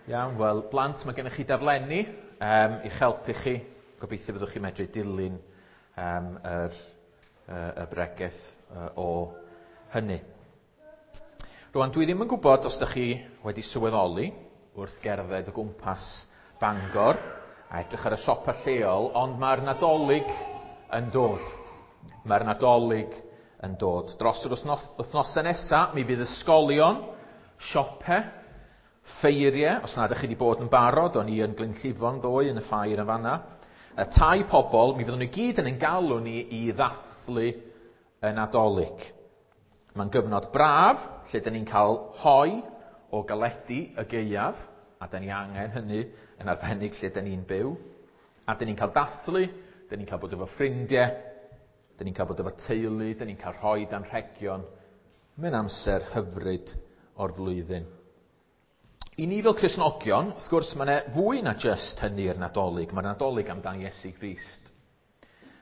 Iawn, wel, blant, mae gennych chi daflenni i'ch helpu chi. Gobeithio fyddwch chi'n medru dilyn um, yr, y bregeth o hynny. Rwan, dwi ddim yn gwybod os ydych chi wedi sylweddoli wrth gerdded o gwmpas Bangor a edrych ar y siopa lleol, ond mae'r Nadolig yn dod. Mae'r Nadolig yn dod. Dros yr wythnosau nesaf, mi fydd ysgolion, siope, ffeiriau, os nad ydych chi wedi bod yn barod, o'n i yn Glynllifon ddoe yn y ffair yn fanna, y tai pobl, mi fyddwn ni gyd yn ein galw ni i ddathlu y Nadolig. Mae'n gyfnod braf, lle dyn ni'n cael hoi o galedu y gaeaf, a dyn ni angen hynny yn arbennig lle dyn ni'n byw. A dyn ni'n cael dathlu, dyn ni'n cael bod efo ffrindiau, dyn ni'n cael bod efo teulu, dyn ni'n cael rhoi anrhegion. Mae'n amser hyfryd o'r flwyddyn. I ni fel Cristnogion, wrth gwrs, mae yna fwy na jyst hynny i'r Nadolig. Mae'r Nadolig amdan Iesu Grist.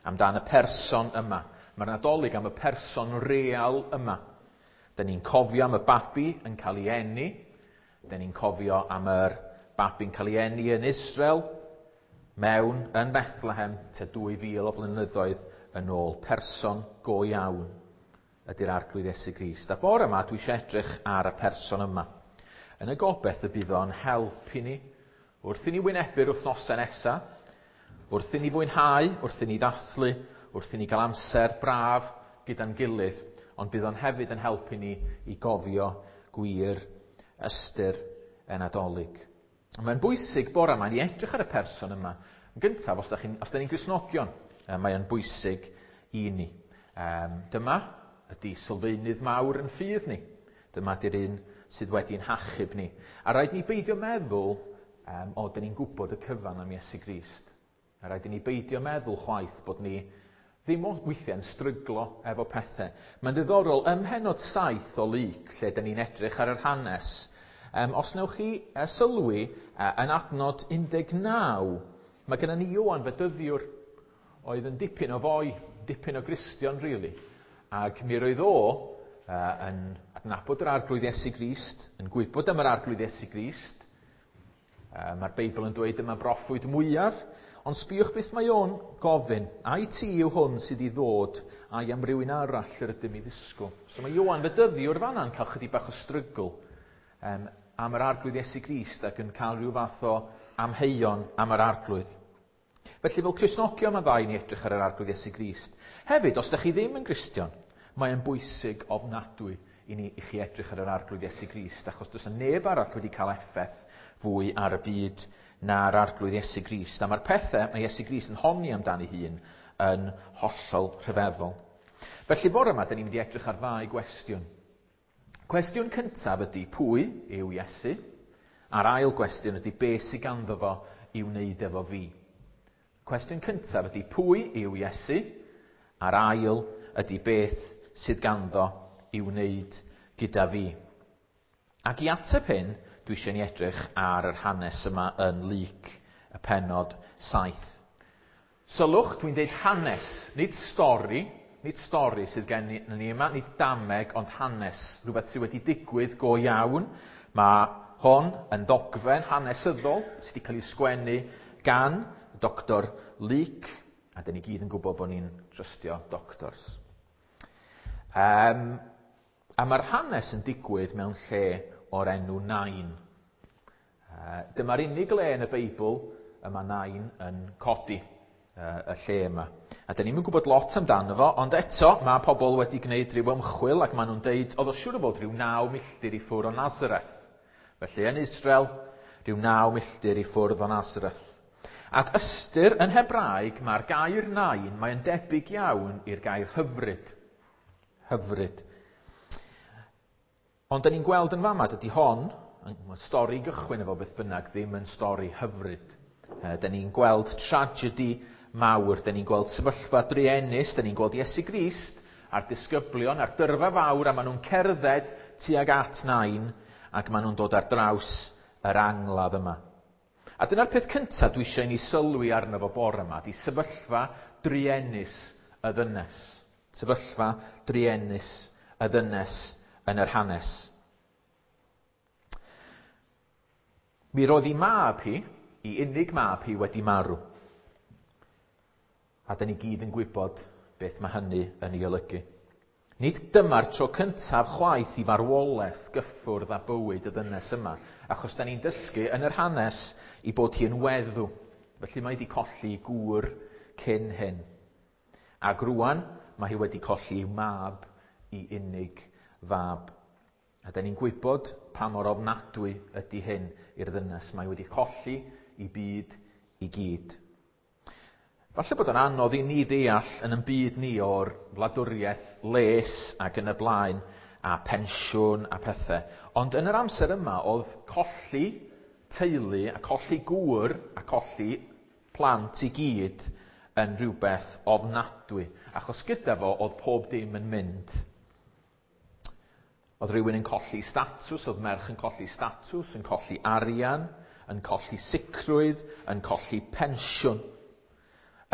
Amdan y person yma. Mae'r Nadolig am y person real yma. Dyn ni'n cofio am y babi yn cael ei eni. Dyn ni'n cofio am yr babi'n cael ei eni yn Israel, mewn yn Bethlehem, tua 2000 o flynyddoedd yn ôl. Person go iawn ydy'r Arglwydd Iesu Grist. A bore yma, dwi eisiau edrych ar y person yma. Yn y gobeith y bydd o'n help i ni, wrth i ni wynebu'r wythnosau nesaf, wrth i ni fwynhau, wrth i ni ddathlu, wrth i ni gael amser braf gyda'n gilydd, ond bydd o'n hefyd yn helpu ni i gofio gwir ystyr y Nadolig. Mae'n bwysig bore yma i edrych ar y person yma. Yn gyntaf, os da ni'n Gristnogion, mae'n bwysig i ni. Dyma ydy sylfaenydd mawr yn ffydd ni. Dyma ydy'r un sydd wedi'n hachub ni. A rhaid ni beidio meddwl, o, dyn ni'n gwybod y cyfan am Iesu Grist. A rhaid i ni beidio meddwl chwaith bod ni ddim weithiau'n stryglo efo pethau. Mae'n ddiddorol, ym mhennod 7 o Luc, lle dyn ni'n edrych ar yr hanes, os newch chi sylwi yn adnod 19, mae gennym ni Ioan Fedyddiwr, oedd yn dipyn o foi, dipyn o Gristion, really. Ac mi roedd o yn adnabod yr Arglwydd Iesu Grist, yn gwybod am yr Arglwydd Iesu Grist. Mae'r Beibl yn dweud yma broffwyd mwyaf, ond sbïwch beth mae o'n gofyn. Ai ti yw hwn sydd i ddod, ai am rywun arall yr ydym i ddisgwyl? So mae Ioan Fedyddiwr fanna'n cael chydig bach o strygl am yr Arglwydd Iesu Grist ac yn cael rhyw fath o amheuon am yr Arglwydd. Felly fel Cristnogion mae'n dda i ni edrych ar yr Arglwydd Iesu Grist. Hefyd, os ydych chi ddim yn Gristion, mae'n bwysig ofnadwy i ni i chi edrych ar yr Arglwydd Iesu Grist, achos does neb arall wedi cael effaith fwy ar y byd na'r Arglwydd Iesu Grist. A mae'r pethau mae Iesu Grist yn honni amdani hun yn hollol rhyfeddol. Felly bore yma, dyn ni'n mynd i edrych ar ddau gwestiwn. Cwestiwn cyntaf ydy pwy yw Iesu? A'r ail gwestiwn ydy beth sydd ganddo fo i wneud efo fi? Cwestiwn cyntaf ydy pwy yw Iesu? A'r ail ydy beth sydd ganddo i wneud gyda fi. Ac i ateb hyn, dwi eisiau ni edrych ar yr hanes yma yn Luc, y pennod 7. Sylwch, dwi'n deud hanes, nid stori sydd gen ni yma, nid dameg, ond hanes, rhywbeth sydd wedi digwydd go iawn. Mae hon yn ddogfen hanesyddol sydd wedi cael ei sgwennu gan Dr Luc, a dyn ni gyd yn gwybod bod ni'n trystio doctors. A mae'r hanes yn digwydd mewn lle o'r enw Nain. Dyma'r unig le yn y Beibl y mae Nain yn codi y lle yma. A dyn ni'm yn gwybod lot amdano fo, ond eto mae pobl wedi gwneud rhyw ymchwil ac maen nhw'n deud oedd o siŵr o fod rhyw 9 milltir i ffwrdd o Nazareth. Felly yn Israel, rhyw 9 milltir i ffwrdd o Nazareth. Ac ystyr yn Hebraeg, mae'r gair Nain, mae'n debyg iawn i'r gair hyfryd. Hyfryd. Ond dyn ni'n gweld yn fama, dydy hon, stori gychwyn efo beth bynnag, ddim yn stori hyfryd. Dyn ni'n gweld tragedy mawr, dyn ni'n gweld sefyllfa druenus, dyn ni'n gweld Iesu Grist a'r disgyblion a'r dyrfa fawr, a maen nhw'n cerdded tuag at Nain, ac maen nhw'n dod ar draws yr angladd yma. A dyna'r peth cyntaf dwi eisiau i ni sylwi arno fo bore yma, di sefyllfa druenus y ddynes. Sefyllfa druenus y ddynes yn yr hanes. Mi roedd ei mab hi, ei unig mab hi, wedi marw. A da ni gyd yn gwybod beth mae hynny yn ei olygu. Nid dyma'r tro cyntaf chwaith i farwolaeth gyffwrdd â bywyd y ddynes yma, achos da ni'n dysgu yn yr hanes i bod hi'n weddw. Felly mae wedi colli gŵr cyn hyn. Ac rwan, mae hi wedi colli i'w mab i unig fab. A da ni'n gwybod pa mor ofnadwy ydy hyn i'r ddynes. Mae wedi colli i byd i gyd. Falle bod o'n anodd i ni ddeall yn ein byd ni o'r wladwriaeth les ac yn y blaen a pensiwn a pethau. Ond yn yr amser yma oedd colli teulu a colli gŵr a colli plant i gyd yn rhywbeth ofnadwy. Achos gyda fo oedd pob dim yn mynd. Oedd rhywun yn colli statws, oedd merch yn colli statws, yn colli arian, yn colli sicrwydd, yn colli pensiwn.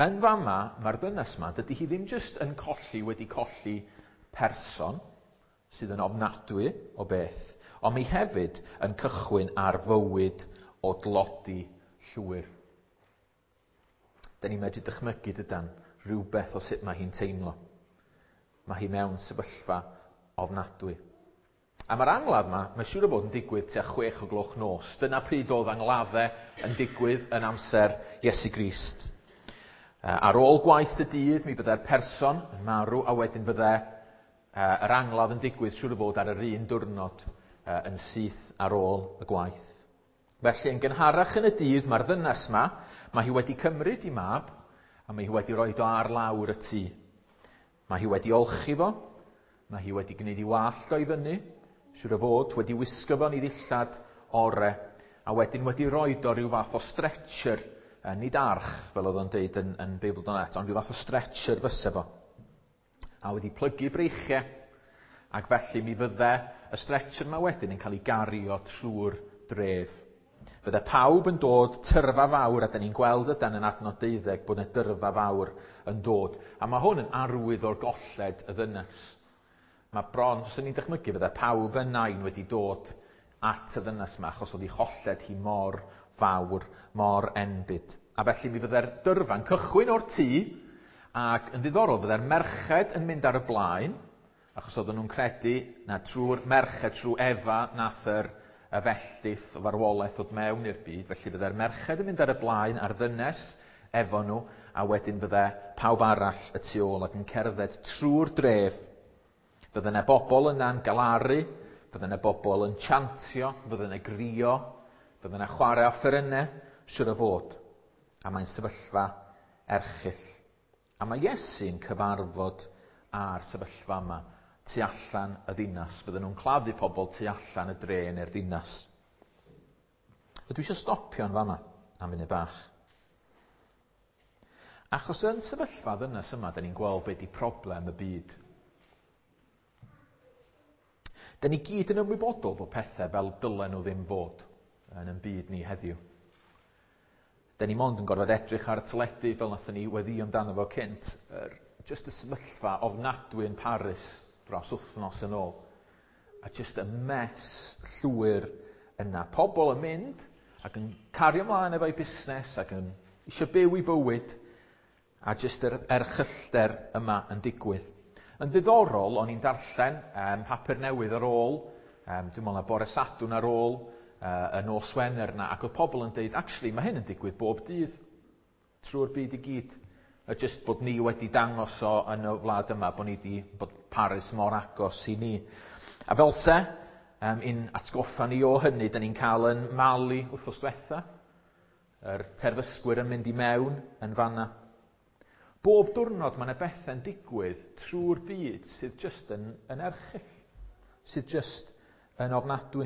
Yn fama, mae'r ddynes yma, dydy hi ddim jyst yn colli wedi colli person sydd yn ofnadwy o beth, ond mi hefyd yn cychwyn ar fywyd o dlodi llwyr. Da ni'n medru dychmygu dydan rhywbeth o sut mae hi'n teimlo. Mae hi mewn sefyllfa ofnadwy. A mae'r angladd yma, mae siŵr o fod yn digwydd tua 6 o gloch nos. Dyna pryd oedd angladdau yn digwydd yn amser Iesu Grist. Ar ôl gwaith y dydd, mi byddai'r person yn marw, a wedyn fydde yr angladd yn digwydd siŵr o fod ar yr un diwrnod yn syth ar ôl y gwaith. Felly, yn gynharach yn y dydd, mae'r ddynes yma, mae hi wedi cymryd i mab, a mae hi wedi rhoi o ar lawr y tŷ. Mae hi wedi olchi fo, mae hi wedi gwneud i wallt o i fyny, siŵr o fod wedi wisgo fo'n ei ddillad ore, a wedyn wedi rhoi o ryw fath o stretcher, nid arch, fel oedd o'n deud yn Beibl.net, ond rhyw fath o stretcher fyse fo. A wedi plygu breichiau, ac felly mi fydde y stretcher yma wedyn yn cael ei gario trwy'r dref. Fydde pawb yn dod, tyrfa fawr, a da ni'n gweld ydan yn adnod 12 bod yna dyrfa fawr yn dod. A mae hwn yn arwydd o'r golled y ddynes. Mae bron, os ni'n dychmygu, fydde pawb yn Nain wedi dod at y ddynes yma, achos oedd ei cholled hi mor fawr, mor enbyd. A felly mi fydde'r dyrfa'n cychwyn o'r tŷ, ac yn ddiddorol fydde'r merched yn mynd ar y blaen, achos oedden nhw'n credu na trwy'r merched, trwy Efa, nath yr y felldith o farwolaeth ddod mewn i'r byd. Felly fydde'r merched yn mynd ar y blaen a'r ddynes efo nhw, a wedyn fydde pawb arall y tu ôl ac yn cerdded trwy'r dref. Fydde yna bobl yna'n galaru, fydde yna bobl yn chantio, fydde yna grio, fydde yna chwarae offerynnau, siwr o fod. A mae'n sefyllfa erchyll. A mae Iesu'n cyfarfod â'r sefyllfa yma tu allan y ddinas. Fydden nhw'n claddu pobl tu allan y dre neu'r ddinas. A dwi eisiau stopio yn fanna am funud bach. Achos yn sefyllfa ddynes yma, da ni'n gweld be di problem y byd. Da ni gyd yn ymwybodol bod pethau fel dylen nhw ddim fod yn ein byd ni heddiw. Da ni mond yn gorfod edrych ar y teledu fel nathon ni weddio amdano fo cynt. Just y sefyllfa ofnadwy yn Paris dros wythnos yn ôl. A just y mess llwyr yna. Pobl yn mynd ac yn cario ymlaen efo'i busnes ac yn eisiau byw i bywyd. A just yr erchyllter yma yn digwydd. Yn ddiddorol, o'n i'n darllen papur newydd ar ôl, dwi'n meddwl na bore Sadwrn ar ôl, y nos Wener yna, ac oedd pobl yn deud, actually, mae hyn yn digwydd bob dydd, trwy'r byd i gyd. A just bod ni wedi dangos o yn y wlad yma, bod ni di, bod Paris mor agos i ni. A fel se, un atgoffa ni o hynny, da ni'n cael yn Mali wythnos diwetha, yr terfysgwyr yn mynd i mewn yn fanna. Bob diwrnod mae yna bethau'n digwydd trwy'r byd sydd just yn erchyll, sydd just yn ofnadwy.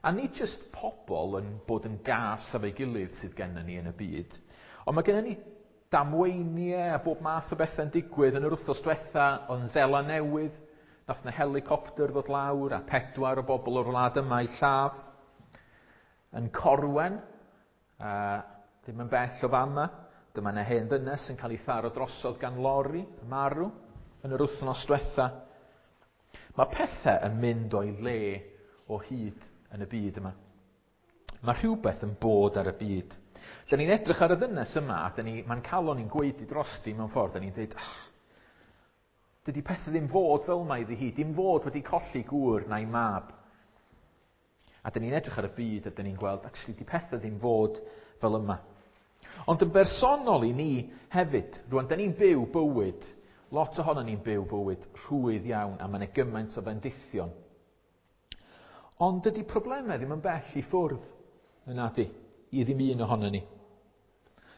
A nid just pobl yn bod yn gas efo'i gilydd sydd gennym ni yn y byd, ond mae gennym ni damweiniau a bob math o bethau'n digwydd. Yn yr wythnos diwetha, oedd yn Seland Newydd, nath na helicopter ddod lawr a 4 o bobl o'r wlad yma i lladd. Yn Corwen, ddim yn bell o fama, dyma yna hen ddynes yn cael ei tharo drosodd gan lori, marw, yn yr wythnos diwetha. Mae pethau yn mynd o'i le o hyd yn y byd yma. Mae rhywbeth yn bod ar y byd. Da ni'n edrych ar y ddynes yma, a da ni, mae'n calon ni'n gwaedu drosti mewn ffordd, da ni'n dweud, oh, dydy pethau ddim fod fel mae iddi hi, dim fod wedi colli gŵr na'i mab. A da ni'n edrych ar y byd a da ni'n gweld, actually, di pethau ddim fod fel yma. Ond yn bersonol i ni hefyd, rwan, da ni'n byw bywyd, lot ohono ni'n byw bywyd rhwydd iawn, a mae yna gymaint o fendithion. Ond dydy problemau ddim yn bell i ffwrdd, yn nadi, i ddim un ohono ni.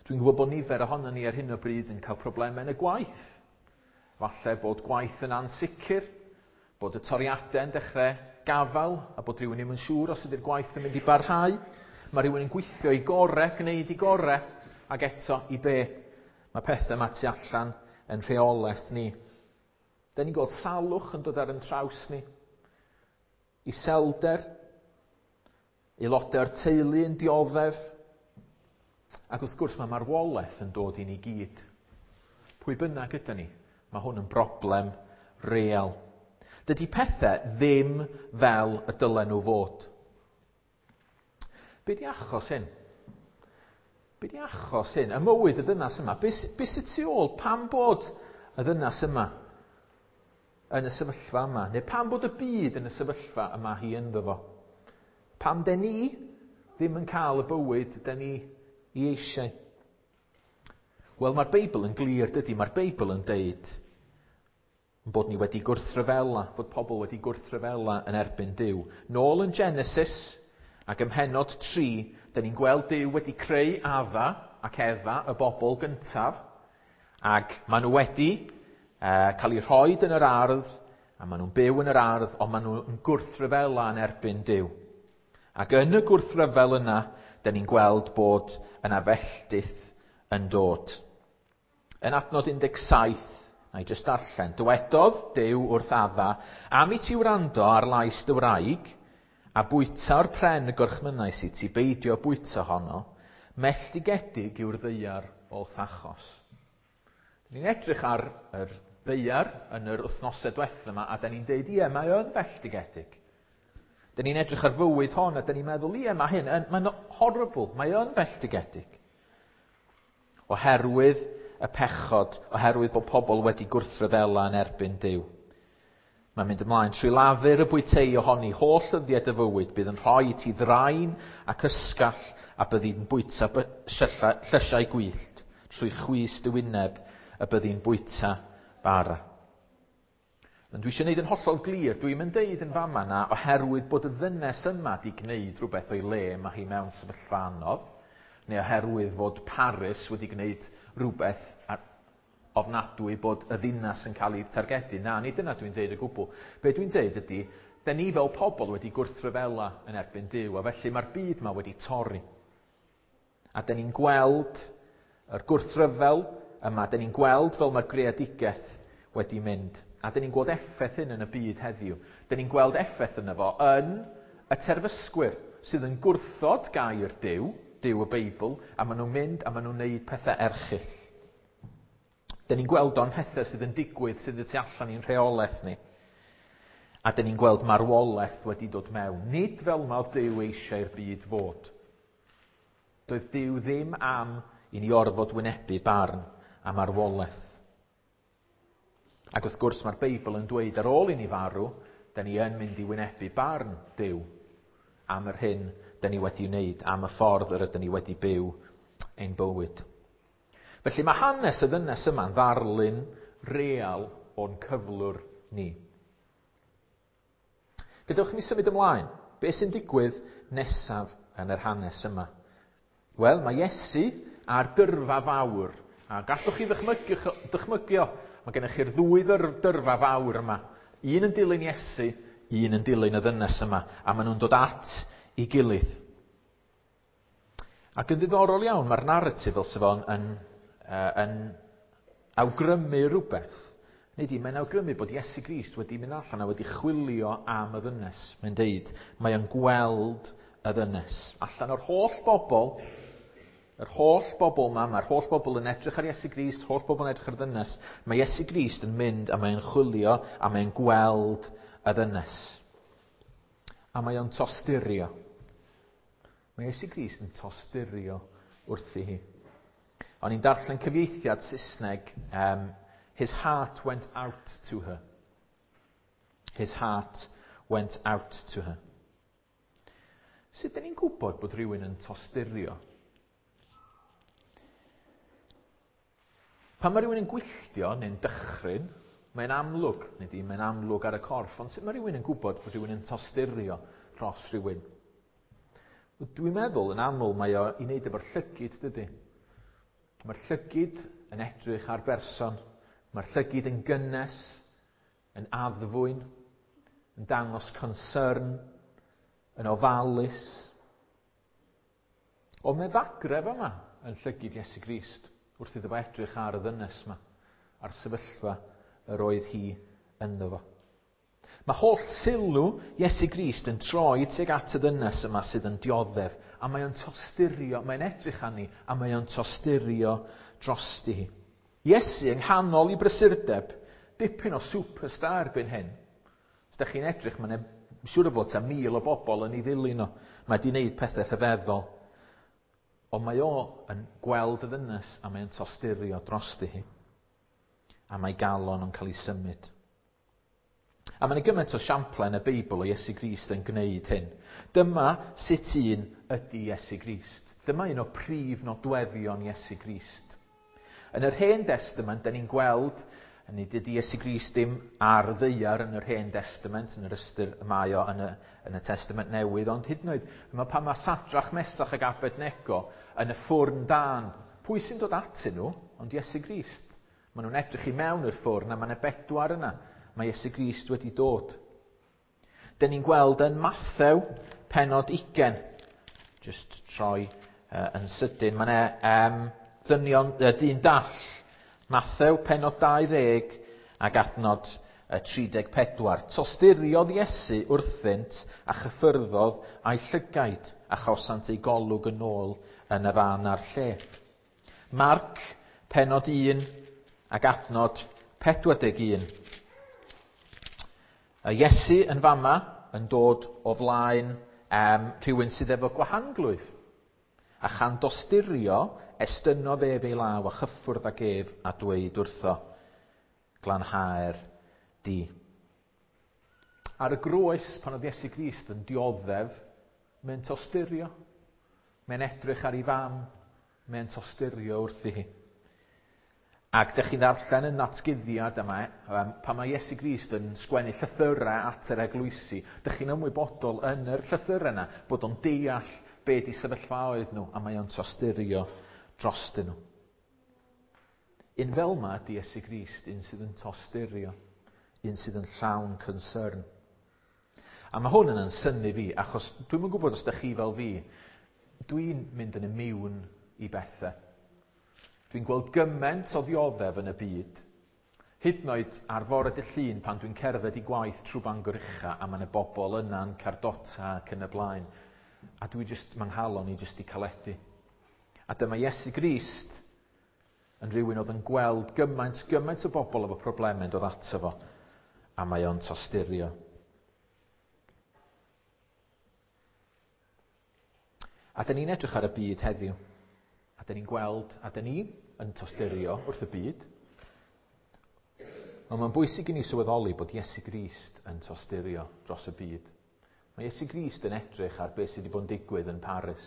Dwi'n gwybod bod nifer ohono ni ar hyn o bryd yn cael problemau yn y gwaith. Falle bod gwaith yn ansicr, bod y toriadau yn dechrau gafael, a bod rhywun ddim yn siŵr os ydy'r gwaith yn mynd i barhau. Mae rhywun yn gweithio i gore, gwneud i gore, ac eto i be. Mae pethau yma tu allan yn rheolaeth ni. Da ni'n gweld salwch yn dod ar yn traws ni. Iselder, aelodau o'r teulu yn dioddef, ac wrth gwrs mae marwolaeth yn dod i ni gyd. Pwy bynnag ydy ni, mae hwn yn broblem real. Dydy pethau ddim fel y dylen nhw fod. Be di achos hyn? Be di achos hyn? Y mywyd y ddynas yma. Be, be sydd tu ôl? Pam bod y ddynas yma yn y sefyllfa yma? Neu pam bod y byd yn y sefyllfa yma hi ynddo fo? Pam den ni ddim yn cael y bywyd den ni i eisiau? Wel, mae'r Beibl yn glir, dydy? Mae'r Beibl yn deud bod ni wedi gwrthryfela, fod pobl wedi gwrthryfela yn erbyn Duw. Nôl yn Genesis, ac ym mhennod 3, da ni'n gweld Duw wedi creu Adda ac Efa, y bobl gyntaf, ac maen nhw wedi cael eu rhoi yn yr ardd, a maen nhw'n byw yn yr ardd, ond maen nhw'n gwrthryfela yn erbyn Duw. Ac yn y gwrthryfel yna, da ni'n gweld bod yna felltith yn dod. Yn adnod 17, na i jyst darllen, dywedodd Duw wrth Adda, am i ti wrando ar lais dy wraig, a bwyta o'r pren y gorchmynnais i ti beidio bwyta honno, melltigedig yw'r ddaear o'th achos. Ni'n edrych ar yr ddaear yn yr wythnosau diwethaf yma, a da ni'n deud, ie, mae o'n felltigedig. Da ni'n edrych ar fywyd hon, a da ni'n meddwl, ie, mae hyn, mae'n horrible, mae o'n felltigedig. Oherwydd y pechod, oherwydd bod pobl wedi gwrthryfela yn erbyn Duw. Mae'n mynd ymlaen, trwy lafur y bwytei ohoni, holl ddyddiau dy fywyd, bydd yn rhoi i ti ddrain ac ysgall a byddi'n bwyta llysiau gwyllt, trwy chwys dy wyneb y byddi'n bwyta bara. Ond dwi eisiau gwneud yn hollol glir, dwi'n mynd deud yn fama na oherwydd bod y ddynes yma di gwneud rhywbeth o'i le, mae hi mewn sefyllfa anodd, neu oherwydd fod Paris wedi gwneud rhywbeth ofnadwy bod y ddinas yn cael ei targedu. Na, nid dyna dwi'n deud o gwbl. Be dwi'n deud ydy, da ni fel pobl wedi gwrthryfela yn erbyn Duw, a felly mae'r byd yma wedi torri. A da ni'n gweld yr gwrthryfel yma, da ni'n gweld fel mae'r greadigaeth wedi mynd. A da ni'n gweld effaith hyn yn y byd heddiw. Da ni'n gweld effaith yna fo yn y terfysgwyr sydd yn gwrthod gair Duw, Duw y Beibl, a maen nhw'n mynd a maen nhw'n neud pethau erchyll. Da ni'n gweld o'n pethau sydd yn digwydd sydd y tu allan i'n rheolaeth ni. A da ni'n gweld marwolaeth wedi dod mewn. Nid fel yma oedd Duw eisiau i'r byd fod. Doedd Duw ddim am i ni orfod wynebu barn a marwolaeth. Ac wrth gwrs mae'r Beibl yn dweud ar ôl i ni farw, da ni yn mynd i wynebu barn Duw am yr hyn da ni wedi wneud, am y ffordd yr ydyn ni wedi byw ein bywyd. Felly mae hanes y ddynes yma'n ddarlun real o'n cyflwr ni. Gadewch i mi symud ymlaen. Be sy'n digwydd nesaf yn yr hanes yma? Wel, mae Iesu a'r dyrfa fawr. A gallwch chi ddychmygio, mae gennych chi'r ddwy dyrfa fawr yma. Un yn dilyn Iesu, un yn dilyn y ddynes yma. A maen nhw'n dod at ei gilydd. Ac yn ddiddorol iawn, mae'r narratif fel sef o'n yn awgrymu rhywbeth. Neu di, mae'n awgrymu bod Iesu Grist wedi mynd allan a wedi chwilio am y ddynes. Mae'n deud, mae o'n gweld y ddynes. Allan o'r holl bobl, yr holl bobl yma, mae'r holl bobl yn edrych ar Iesu Grist, holl bobl yn edrych ar y ddynes. Mae Iesu Grist yn mynd a mae'n chwilio a mae'n gweld y ddynes. A mae o'n tosturio. Mae Iesu Grist yn tosturio wrthi hi. O'n i'n darllen cyfieithiad Saesneg, "His heart went out to her." His heart went out to her. Sut dyn ni'n gwybod bod rhywun yn tosturio? Pan mae rhywun yn gwylltio neu'n dychryn, mae'n amlwg, neu di, mae'n amlwg ar y corff, ond sut mae rhywun yn gwybod bod rhywun yn tosturio dros rhywun? Dwi'n meddwl yn aml mae o i wneud efo'r llygid, dydy? Mae'r llygid yn edrych ar berson, mae'r llygid yn gynnes, yn addfwyn, yn dangos concern, yn ofalus. Ond mae ddagref yma yn llygid Iesu Grist wrth iddo fo edrych ar y ddynes yma, a'r sefyllfa yr oedd hi ynddo fo. Mae holl sylw Iesu Grist yn troi tuag at y ddynes yma sydd yn dioddef, a mae o'n tosturio, mae'n edrych arni, a mae o'n tosturio drosti hi. Iesu yng nghanol i brysurdeb, dipyn o superstar erbyn hyn. Os ydych chi'n edrych, mae'n siŵr o fod tua 1,000 o bobl yn ei ddilyn o. Mae wedi gwneud pethau rhyfeddol. Ond mae o yn gweld y ddynes a mae'n tosturio drosti hi. A mae galon yn cael ei symud. A mae'n gymaint o siamplau yn y Beibl o Iesu Grist yn gwneud hyn. Dyma sut un ydy Iesu Grist. Dyma un o prif nodweddion Iesu Grist. Yn yr Hen Destament, da ni'n gweld, nid ydy Iesu Grist ddim ar y ddaear yn yr Hen Destament, yn yr ystyr y mae o yn y Testament Newydd, ond hyd yn oed, mae pan mae Sadrach, Mesach ac Abednego yn y ffwrn dân, pwy sy'n dod atyn nhw? Ond Iesu Grist. Maen nhw'n edrych i mewn i'r ffwrn a mae yna bedwar yna. Mae Iesu Grist wedi dod. Dyn ni'n gweld yn Mathew, pennod 20. Just troi yn sydyn. Mae yna ddynion, dyn dall. Mathew, pennod 20 ac adnod 34. Tosturiodd Iesu wrthynt a chyffyrddodd a'i llygaid a chawsant ei golwg yn ôl yn y fan a'r lle. Marc, pennod 1 ac adnod 41. Y Iesu yn fama yn dod o flaen rhywun sydd efo gwahanglwyf. A chan dosturio, estynnodd ef ei law a chyffwrdd ag ef a dweud wrtho, glanhaer di. Ar y groes, pan oedd Iesu Grist yn dioddef, mae'n tosturio. Mae'n edrych ar ei fam, mae'n tosturio wrthi hi. Ac dych chi'n ddarllen yn natguddiad yma, pan mae Iesu Grist yn sgwennu llythyrau at yr eglwysi, dych chi'n ymwybodol yn yr llythyrau yna bod o'n deall be di sefyllfaoedd nhw, a mae o'n tosturio drostyn nhw. Un fel yma ydy Iesu Grist, un sydd yn tosturio, un sydd yn llawn concern. A mae hwn yn synnu fi, achos dwi'm yn gwybod os ydych chi fel fi, dwi'n mynd yn immune i bethau. Dwi'n gweld gymaint o ddioddef yn y byd, hyd yn oed ar fore dydd Llun pan dwi'n cerdded i gwaith trwy Bangor Ucha a mae yna bobl yna'n cardota ac yn y blaen. A dwi jyst, mae nghalon i jyst i caledu. A dyma Iesu Grist yn rhywun oedd yn gweld gymaint, gymaint o bobl efo problemau yn dod ato fo, a mae o'n tosturio. A dyn ni'n edrych ar y byd heddiw. A dyn ni'n gweld, a dyn ni yn tosturio wrth y byd. Ond mae'n bwysig i ni sylweddoli bod Iesu Grist yn tosturio dros y byd. Mae Iesu Grist yn edrych ar beth sydd wedi bod yn digwydd yn Paris,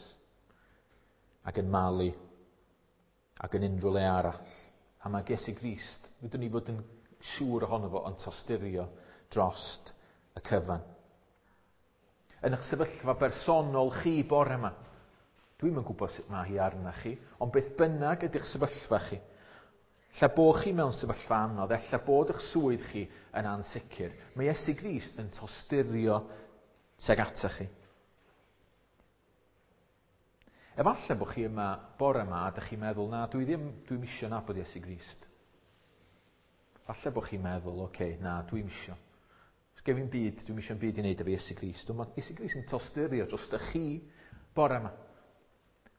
ac yn Mali, ac yn unrhyw le arall. A mae Iesu Grist, fydwn ni fod yn siŵr ohono fo, yn tosturio drost y cyfan. Yn eich sefyllfa bersonol chi bore yma, dwi'm yn gwybod sut mae hi arna chi, ond beth bynnag ydy'ch sefyllfa chi, lle bo chi mewn sefyllfa anodd, ella bod eich swydd chi yn ansicr, mae Iesu Grist yn tosturio tuag atoch chi. Efallai bod chi yma bore yma a dych chi'n meddwl, na, dwi ddim, dwi'm isio nabod Iesu Grist. Falle bod chi'n meddwl, oce, okay, na, dwi'm isio. Os gen fi'm byd, dwi'm isio'm byd i wneud efo Iesu Grist. Ond mae Iesu Grist yn tosturio dros chi bore yma.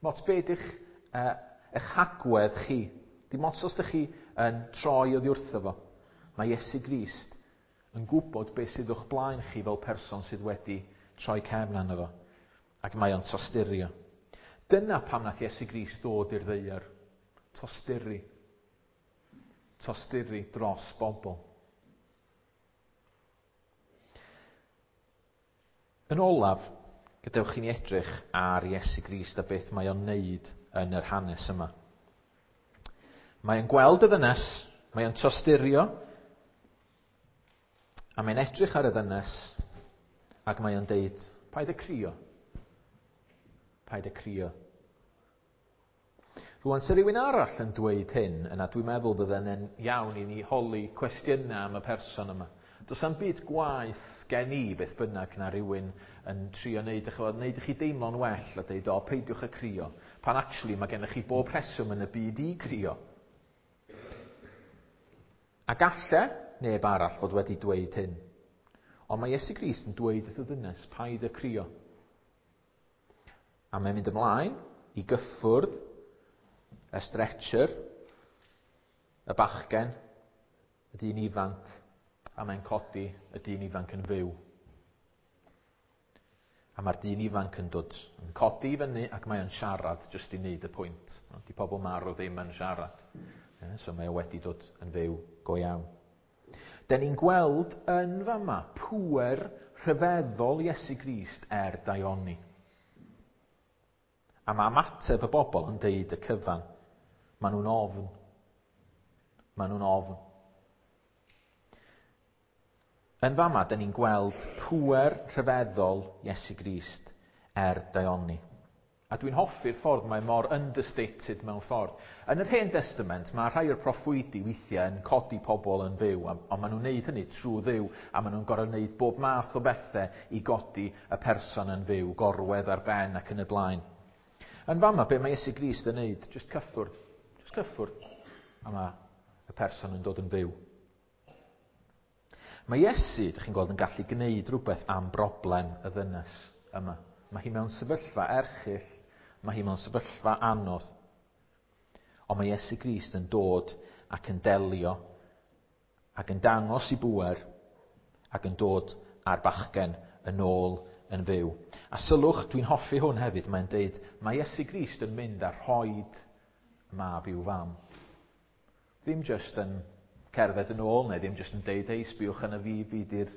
Mots be ydych eich hagwedd chi. Dim ots os ydych chi yn troi oddi wrtho fo. Mae Iesu Grist yn gwybod beth sydd o'ch blaen chi fel person sydd wedi troi cefn arno fo. Ac mae o'n tosturio. Dyna pam nath Iesu Grist ddod i'r ddaear. Tosturi. Tosturi dros bobl. Yn olaf, gadewch i ni edrych ar Iesu Grist a beth mae o'n neud yn yr hanes yma. Mae o'n gweld y ddynes, mae o'n tosturio, a mae'n edrych ar y ddynes, ac mae o'n deud, paid â crio. Paid â crio. Rwan, se rhywun arall yn dweud hyn, yna dwi'n meddwl bydden iawn i ni holi cwestiynau am y person yma. Does am byd gwaeth gen i beth bynnag na rhywun yn trio neud, ch'mod, neud i chi deimlo'n well a deud, o, peidiwch â crio. Pan actually mae gennych chi bob rheswm yn y byd i crio. A galle neb arall fod wedi dweud hyn. Ond mae Iesu Grist yn dweud wrth y ddynes, paid â crio. A mae'n mynd ymlaen i gyffwrdd y stretcher, y bachgen, y dyn ifanc, a mae'n codi y dyn ifanc yn fyw. A mae'r dyn ifanc yn dod yn codi i fyny ac mae o'n siarad jyst i wneud y pwynt. Di pobl marw ddim yn siarad. So mae o wedi dod yn fyw go iawn. Den ni'n gweld yn fama pŵer rhyfeddol Iesu Grist er daioni. A mae ymateb y bobl yn deud y cyfan. Maen nhw'n ofn. Maen nhw'n ofn. Yn fama, dyn ni'n gweld pŵer rhyfeddol Iesu Grist er daioni. A dwi'n hoffi'r ffordd mae mor understated mewn ffordd. Yn yr Hen Testament, mae rhai o'r proffwydi weithiau yn codi pobl yn fyw, ond maen nhw'n neud hynny trwy Dduw, a maen nhw'n gorfod wneud bob math o bethau i godi y person yn fyw, gorwedd ar ben ac yn y blaen. Yn fama, be mae Iesu Grist yn neud? Just cyffwrdd. Just cyffwrdd. A mae y person yn dod yn fyw. Mae Iesu, ydych chi'n gweld, yn gallu gwneud rhywbeth am broblem y ddynes yma. Mae hi mewn sefyllfa erchyll, mae hi mewn sefyllfa anodd. Ond mae Iesu Grist yn dod ac yn delio ac yn dangos i bŵer ac yn dod â'r bachgen yn ôl yn fyw. A sylwch, dwi'n hoffi hwn hefyd, mae'n deud, mae Iesu Grist yn mynd a rhoid mab i'w fam. Ddim jyst yn cerdded yn ôl, neu ddim jyst yn deud, hei, sbiwch yn y fi, fi di'r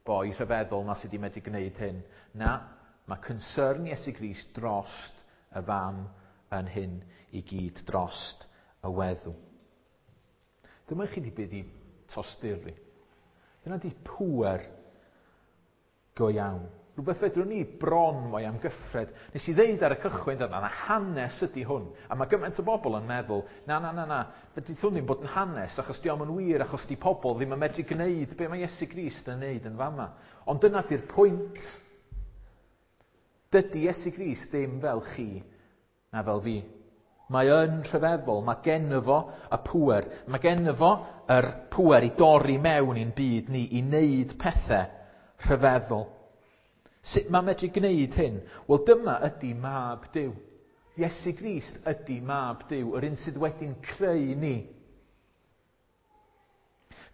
boi rhyfeddol ma sydd wedi medru gwneud hyn. Na, mae concern Iesu Grist drost y fam yn hyn i gyd, drost y weddw. Dyma chi di byd i tosturi. Dyna di pŵer go iawn. Rhywbeth fedrwn ni bron mo'i amgyffred. Nes i ddeud ar y cychwyn dyna, na hanes ydy hwn. A mae gymaint o bobl yn meddwl, na, na, na, na, fedrith hwn ddim bod yn hanes, achos di o'm yn wir, achos di pobl ddim yn medru gwneud be mae Iesu Grist yn wneud yn fama. Ond dyna di'r pwynt. Dydy Iesu Grist ddim fel chi na fel fi. Mae yn rhyfeddol, mae genno fo y pŵer. Mae genno fo yr pŵer i dorri mewn i'n byd ni, i wneud pethau rhyfeddol. Sut mae medru gwneud hyn? Wel, dyma ydy mab Duw. Iesu Grist ydy mab Duw, yr un sydd wedi'n creu ni.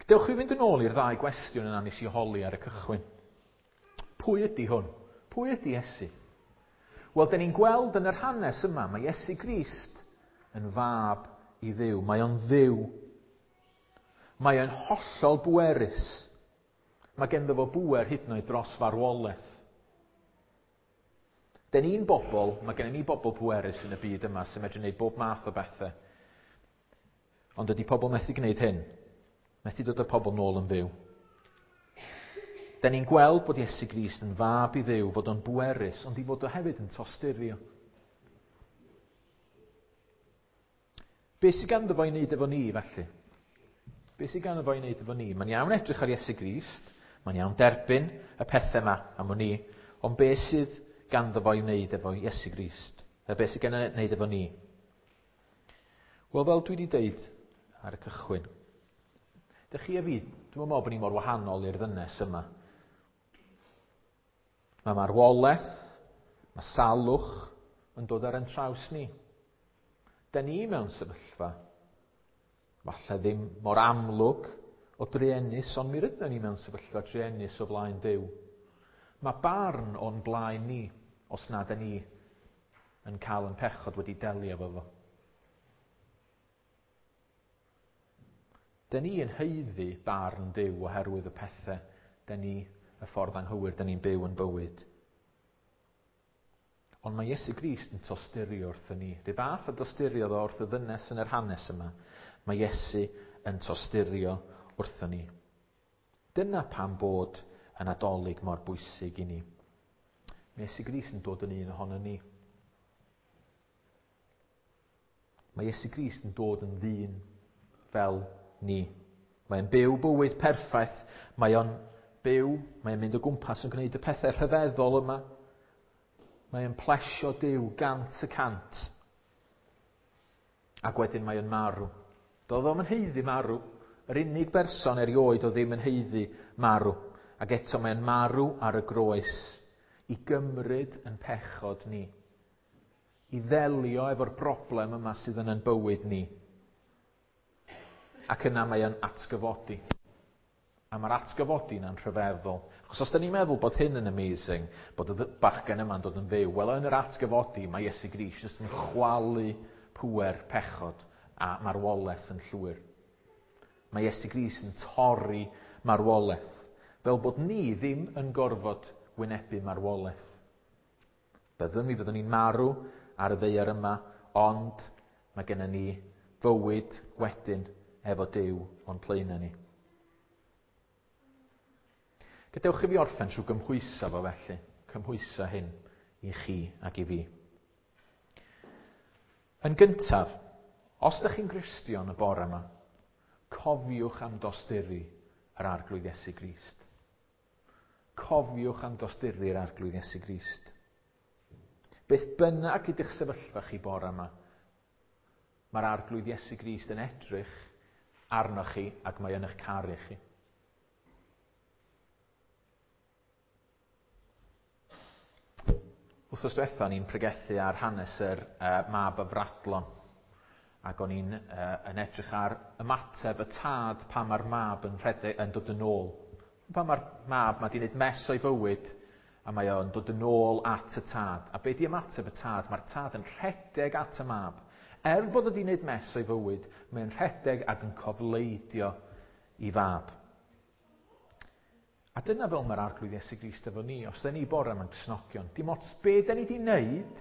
Gadewch i fi fynd yn ôl i'r ddau gwestiwn yna nes i holi ar y cychwyn. Pwy ydy hwn? Pwy ydy Iesu? Wel, dyn ni'n gweld yn yr hanes yma, mae Iesu Grist yn fab i Dduw. Mae o'n Dduw. Mae o'n hollol bwerus. Mae genddo fo bŵer hyd yn oed dros farwolaeth. Dyn ni'n bobl, mae gennym ni bobl pwerus yn y byd yma sy'n medru gwneud bob math o bethau. Ond dydy pobl methu gwneud hyn. Methu dod â pobl nôl yn fyw. Dyn ni'n gweld bod Iesu Grist yn fab i Dduw, fod o'n bwerus, ond i fod o hefyd yn tosturio. Be sydd ganddo fo i wneud efo ni, felly? Be sydd ganddo fo i wneud efo ni? Mae'n iawn edrych ar Iesu Grist, mae'n iawn derbyn y pethau yma am wn i, ond be sydd ganddo fo i wneud efo Iesu Grist? A be sydd gen i wneud efo ni? Wel, fel dwi wedi deud ar y cychwyn, dych chi a fi, dwi'n meddwl bod ni mor wahanol i'r ddynes yma. Mae marwolaeth, mae salwch yn dod ar ein traws ni. Da ni mewn sefyllfa, falle ddim mor amlwg o druenus, ond mi rydyn ni mewn sefyllfa druenus o flaen Duw. Mae barn o'n blaen ni. Os na da ni yn cael yn pechod wedi delio efo fo. Da ni yn haeddu barn Duw oherwydd y pethau da ni, y ffordd anghywir da ni'n byw yn bywyd. Ond mae Iesu Grist yn tosturio wrthyn ni. Rhyw fath o dosturiodd o wrth y ddynes yn yr hanes yma. Mae Iesu yn tosturio wrthyn ni. Dyna pam bod y Nadolig mor bwysig i ni. Mae Iesu Grist yn dod yn un ohono ni. Mae Iesu Grist yn dod yn ddyn fel ni. Mae'n byw bywyd perffaith. Mae o'n byw, mae'n mynd o gwmpas yn gwneud y pethau rhyfeddol yma. Mae o'n plesio Duw 100%. Ac wedyn mae o'n marw. Doedd o'm yn haeddu marw. Yr unig berson erioed o ddim yn haeddu marw. Ac eto mae'n marw ar y groes i gymryd yn pechod ni. I ddelio efo'r broblem yma sydd yn ein bywyd ni. Ac yna mae o'n atgyfodi. A mae'r atgyfodi yna'n rhyfeddol. Achos os da ni'n meddwl bod hyn yn amazing, bod y bachgen yma'n dod yn fyw, wel yn yr atgyfodi mae Iesu Grist jyst yn chwalu pŵer pechod a marwolaeth yn llwyr. Mae Iesu Grist yn torri marwolaeth, fel bod ni ddim yn gorfod wynebu marwolaeth. Byddwn, mi fyddwn ni'n marw ar y ddaear yma, ond mae gennym ni fywyd wedyn efo Duw o'n blaenau ni. Gadewch i fi orffen trwy gymhwyso fo felly, cymhwyso hyn i chi ac i fi. Yn gyntaf, os ydych chi'n Gristion y bore yma, cofiwch am dosturi yr Arglwydd Iesu Grist. Cofiwch am dosturi yr Arglwydd Iesu Grist. Beth bynnag ydych sefyllfa chi bore yma, mae'r Arglwydd Iesu Grist yn edrych arnoch chi ac mae yn eich caru chi. Wythnos diwetha o'n i'n pregethu ar hanes yr mab afradlon, ac o'n i'n yn edrych ar ymateb y tad pan mae'r mab yn rhedeg, yn dod yn ôl. Pan mae'r mab mae 'di wneud mess o'i fywyd a mae o'n dod yn ôl at y tad. A be 'di ymateb y tad? Mae'r tad yn rhedeg at y mab. Er bod o 'di wneud mess o'i fywyd, mae'n rhedeg ac yn cofleidio i fab. A dyna fel mae'r Arglwydd Iesu Grist efo ni, os da ni bore yma'n Gristnogion. Dim ots be da ni 'di wneud,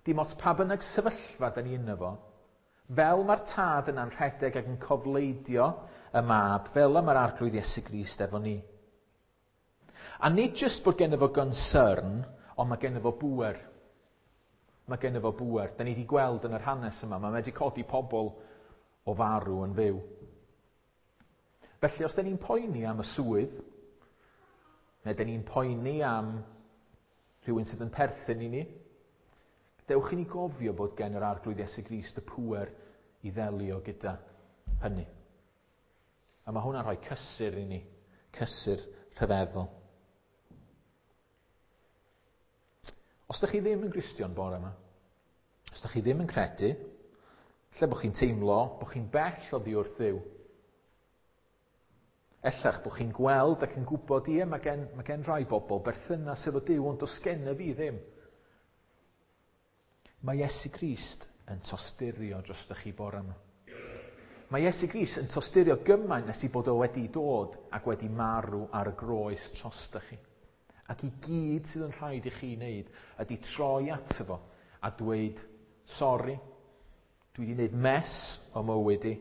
dim ots pa bynnag sefyllfa da ni yno fo, fel mae'r tad yna'n rhedeg ac yn cofleidio y mab, fel y mae'r Arglwydd Iesu Grist efo ni. A nid jyst bod genno fo concern, ond mae genno fo bŵer. Mae genno fo bŵer. Da ni wedi gweld yn yr hanes yma, mae wedi codi pobl o farw yn fyw. Felly, os da ni'n poeni am y swydd, neu da ni'n poeni am rhywun sydd yn perthyn i ni, dewch i ni gofio bod gen yr Arglwydd Iesu Grist y pŵer i ddelio gyda hynny. A mae hwnna'n rhoi cysur i ni, cysur rhyfeddol. Os ydych chi ddim yn Gristion bore yma, os ydych chi ddim yn credu, lle bod chi'n teimlo bod chi'n bell oddi wrth Dduw, ellach bod chi'n gweld ac yn gwybod, ie, mae gen rai bobl berthynas efo Duw, ond does gen i fi ddim. Mae Iesu Grist yn tosturio drostoch chi bore yma. Mae Iesu Grist yn tosturio gymaint nes i bod o wedi dod ac wedi marw ar y groes drostoch chi. Ac i gyd sydd yn rhaid i chi wneud ydy troi ato fo a dweud, sori, dwi wedi wneud mess o mywyd i,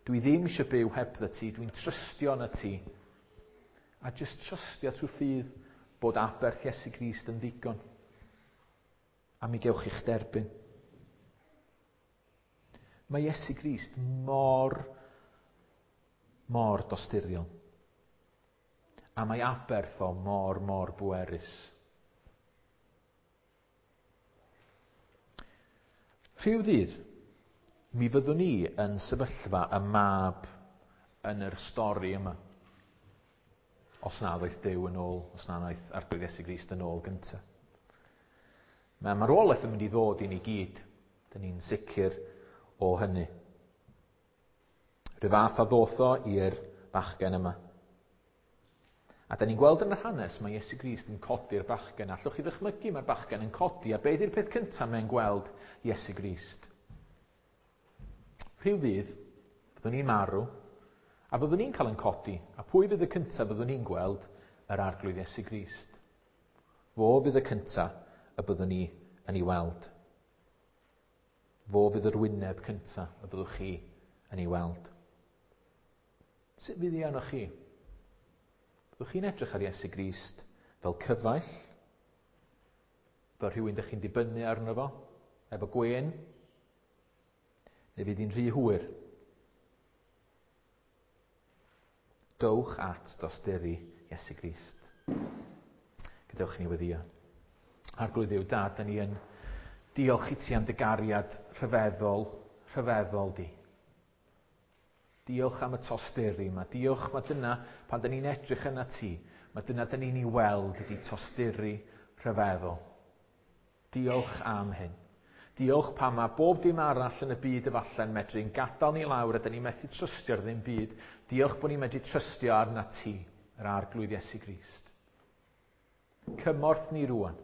dwi ddim eisiau byw hebddo ti, dwi'n trystio yn y ti. A jyst trystio trwy ffydd bod aberth Iesu Grist yn ddigon. A mi gewch chi'ch derbyn. Mae Iesu Grist mor, mor dosturiol. A mae aberth o mor, mor bwerus. Rhyw ddydd, mi fyddwn ni yn sefyllfa y mab yn yr stori yma. Os na ddoeth Duw yn ôl, os na ddoeth Arglwydd Iesu Grist yn ôl gyntaf. Mae marwolaeth yn mynd i ddod i ni gyd. Dyn ni'n sicr o hynny. Rhyw fath a ddoth o i'r bachgen yma. A da ni'n gweld yn yr hanes mae Iesu Grist yn codi'r bachgen. Allwch chi ddychmygu mae'r bachgen yn codi, a be di'r peth cyntaf mae'n gweld Iesu Grist? Rhyw ddydd, fyddwn ni'n marw, a fyddwn ni'n cael yn codi, a pwy fydd y cyntaf fyddwn ni'n gweld? Yr Arglwydd Iesu Grist. Fo fydd y cyntaf y byddwn ni yn ei weld. Fo fydd yr wyneb cyntaf y byddwch chi yn ei weld. Sut fydd hi arnoch chi? Byddwch chi'n edrych ar Iesu Grist fel cyfaill? Fel rhywun dych chi'n dibynnu arno fo? Efo gwên? Neu fydd hi'n rhy hwyr? Dowch at dosturi Iesu Grist. Gadewch i ni weddïo. Arglwydd Dduw Dad, da ni yn diolch i ti am dy gariad rhyfeddol, rhyfeddol di. Diolch am y tosturi yma. Diolch, mae dyna, pan da ni'n edrych yna ti, mae dyna da ni'n ei weld ydy tosturi rhyfeddol. Diolch am hyn. Diolch pam mae bob dim arall yn y byd efallai'n medru'n gadael ni lawr a da ni'n methu trystio ar ddim byd. Diolch bod ni'n medru trystio arna ti, yr Arglwydd Iesu Grist. Cymorth ni rwan,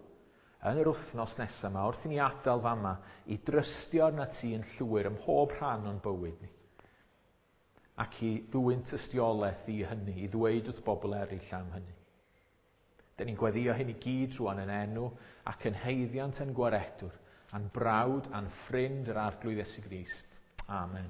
yn yr wythnos nesaf yma, wrth i ni adael fama, i drystio arna ti yn llwyr ym mhob rhan o'n bywyd ni. Ac i ddwyn tystiolaeth i hynny, i ddweud wrth bobl eraill am hynny. Da ni'n gweddïo hyn i gyd rwan yn enw ac yn haeddiant yn gwaredwr, a'n brawd a'n ffrind yr Arglwydd Iesu Grist. Amen.